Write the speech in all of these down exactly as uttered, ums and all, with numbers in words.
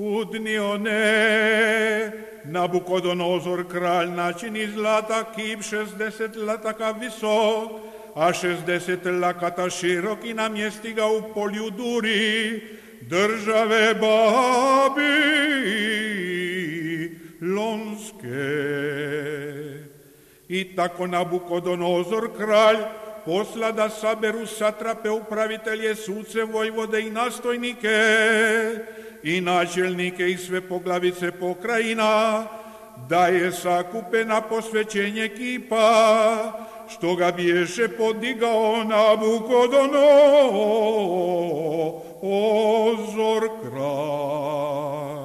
U dni one Nabukodonozor kralj načini zlata kip šezdeset lataka visok, a šezdeset lakata širok i namjesti ga u polju Duri, države Babilonske. I tako Nabukodonozor kralj posla da saberu satrape, upravitelje, suce, vojvode i nastojnike i načelnike i sve poglavice pokrajina, da je sakupe na posvećenje kipa, što ga biješe podigao Nabukodonozor kralj.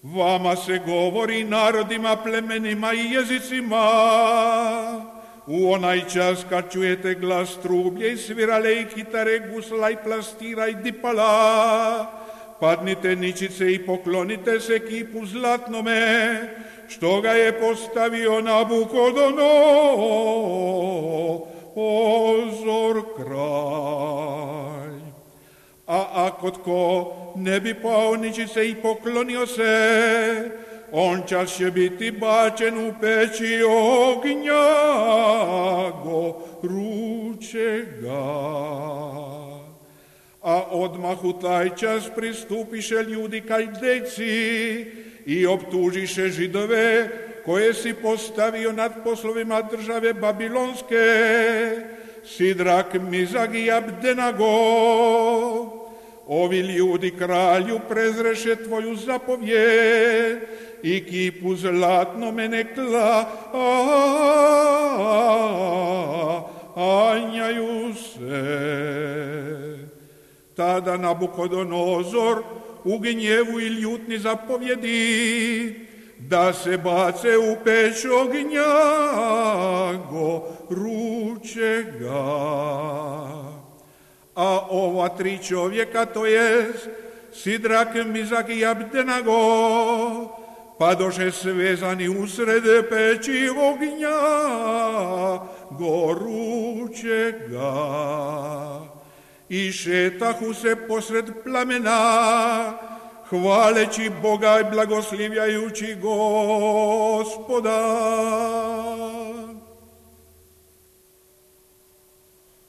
Vama se govori, narodima, plemenima i jezicima, u onaj čas kad čujete glas trublje i svirale i kitare, gusla i plastira i dipala, padnite ničice i poklonite se kipu zlatnome, što ga je postavio Nabukodonozor kralj. A ako tko ne bi pao ničice i poklonio se, on čas će biti bačen u peći ognja gorućega. A odmah u taj čas pristupiše ljudi Kaldejci i optužiše Židove koje si postavio nad poslovima države Babilonske, Sidrak, Mizag i Abdenago. Ovi ljudi kralju prezreše tvoju zapovjed i kipu zlatnome ne klanjaju se. Tada Nabukodonozor u gnjevu i ljutni zapovjedi da se bace u peć ognja gorućega. A ova tri čovjeka, to je Sidrak, Mizak i Abdenago, padoše svezani usred peći ognja gorućega i šetahu se posred plamena, hvaleći Boga i blagoslivljajući Gospoda.